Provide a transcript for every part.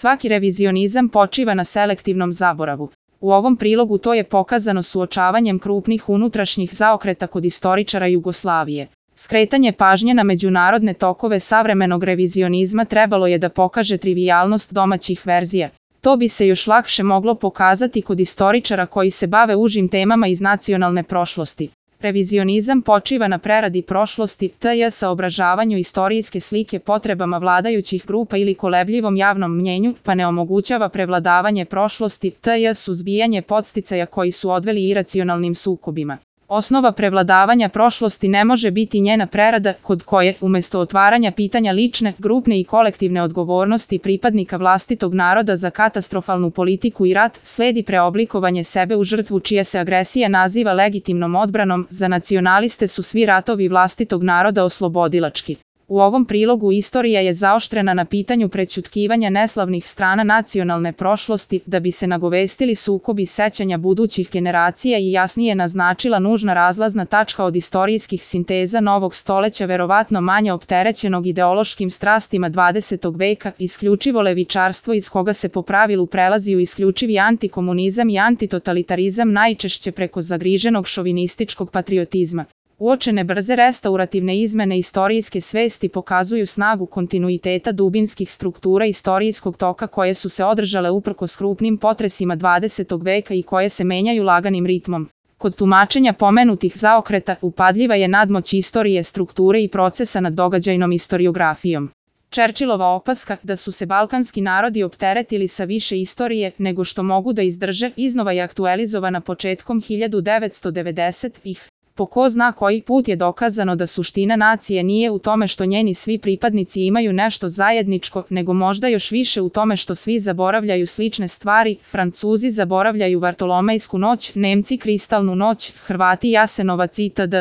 Svaki revizionizam počiva na selektivnom zaboravu. U ovom prilogu to je pokazano suočavanjem krupnih unutrašnjih zaokreta kod istoričara Jugoslavije. Skretanje pažnje na međunarodne tokove savremenog revizionizma trebalo je da pokaže trivijalnost domaćih verzija. To bi se još lakše moglo pokazati kod istoričara koji se bave užim temama iz nacionalne prošlosti. Revizionizam počiva na preradi prošlosti, tj. saobražavanju istorijske slike potrebama vladajućih grupa ili kolebljivom javnom mnjenju, pa ne omogućava prevladavanje prošlosti, tj. suzbijanje podsticaja koji su odveli iracionalnim sukobima. Osnova prevladavanja prošlosti ne može biti njena prerada, kod koje, umesto otvaranja pitanja lične, grupne i kolektivne odgovornosti pripadnika vlastitog naroda za katastrofalnu politiku i rat, sledi preoblikovanje sebe u žrtvu čija se agresija naziva legitimnom odbranom. Za nacionaliste su svi ratovi vlastitog naroda oslobodilački. U ovom prilogu istorija je zaoštrena na pitanju prećutkivanja neslavnih strana nacionalne prošlosti, da bi se nagovestili sukobi sećanja budućih generacija i jasnije naznačila nužna razlazna tačka od istorijskih sinteza novog stoleća, verovatno manje opterećenog ideološkim strastima 20. veka, isključivo levičarstvo iz koga se po pravilu prelazi u isključivi antikomunizam i antitotalitarizam, najčešće preko zagriženog šovinističkog patriotizma. Uočene brze restaurativne izmene istorijske svesti pokazuju snagu kontinuiteta dubinskih struktura istorijskog toka koje su se održale uprkos krupnim potresima 20. veka i koje se menjaju laganim ritmom. Kod tumačenja pomenutih zaokreta upadljiva je nadmoć istorije, strukture i procesa nad događajnom istoriografijom. Churchillova opaska da su se balkanski narodi opteretili sa više istorije nego što mogu da izdrže iznova je aktualizovana početkom 1990-ih. Po ko zna koji put je dokazano da suština nacije nije u tome što njeni svi pripadnici imaju nešto zajedničko, nego možda još više u tome što svi zaboravljaju slične stvari. Francuzi zaboravljaju Vartolomejsku noć, Nemci kristalnu noć, Hrvati Jasenovac itd.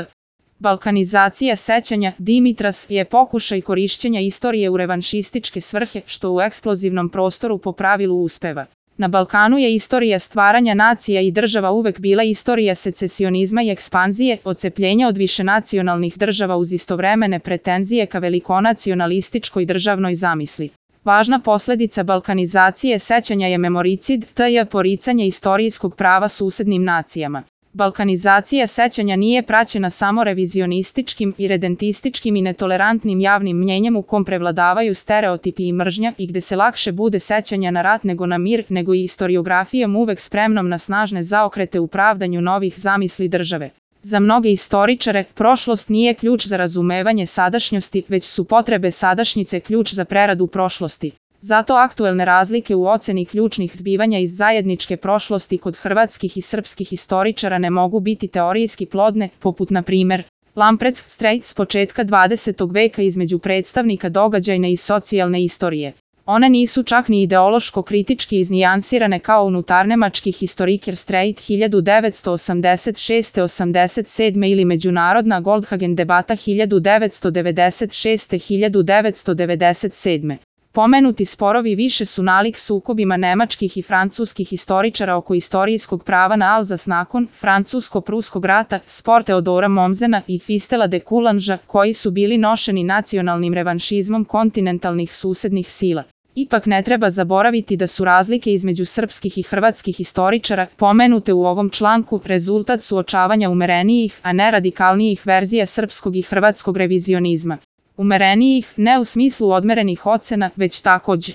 Balkanizacija sećanja, Dimitras, je pokušaj korišćenja istorije u revanšističke svrhe, što u eksplozivnom prostoru po pravilu uspeva. Na Balkanu je istorija stvaranja nacija i država uvek bila istorija secesionizma i ekspanzije, odcepljenja od višenacionalnih država uz istovremene pretenzije ka velikonacionalističkoj državnoj zamisli. Važna posledica balkanizacije sećanja je memoricid, tj. poricanje istorijskog prava susednim nacijama. Balkanizacija sećanja nije praćena samo revizionističkim i redentističkim i netolerantnim javnim mnjenjem u kom prevladavaju stereotipi i mržnja i gde se lakše bude sećanja na rat nego na mir, nego i istoriografijom uvek spremnom na snažne zaokrete u pravdanju novih zamisli države. Za mnoge istoričare, prošlost nije ključ za razumevanje sadašnjosti, već su potrebe sadašnjice ključ za preradu prošlosti. Zato aktuelne razlike u oceni ključnih zbivanja iz zajedničke prošlosti kod hrvatskih i srpskih istoričara ne mogu biti teorijski plodne, poput na primer Lamprecht Strait s početka 20. veka između predstavnika događajne i socijalne istorije. One nisu čak ni ideološko-kritički iznijansirane kao unutarnemački historiker Strait 1986-87 ili međunarodna Goldhagen debata 1996-1997. Pomenuti sporovi više su nalik sukobima nemačkih i francuskih istoričara oko istorijskog prava na Alzas nakon francusko-pruskog rata, spor Teodora Mommsena i Fistela de Coulangea, koji su bili nošeni nacionalnim revanšizmom kontinentalnih susednih sila. Ipak ne treba zaboraviti da su razlike između srpskih i hrvatskih istoričara, pomenute u ovom članku, rezultat suočavanja umerenijih, a ne radikalnijih verzija srpskog i hrvatskog revizionizma. Umerenijih, ne u smislu odmerenih ocena, već takođe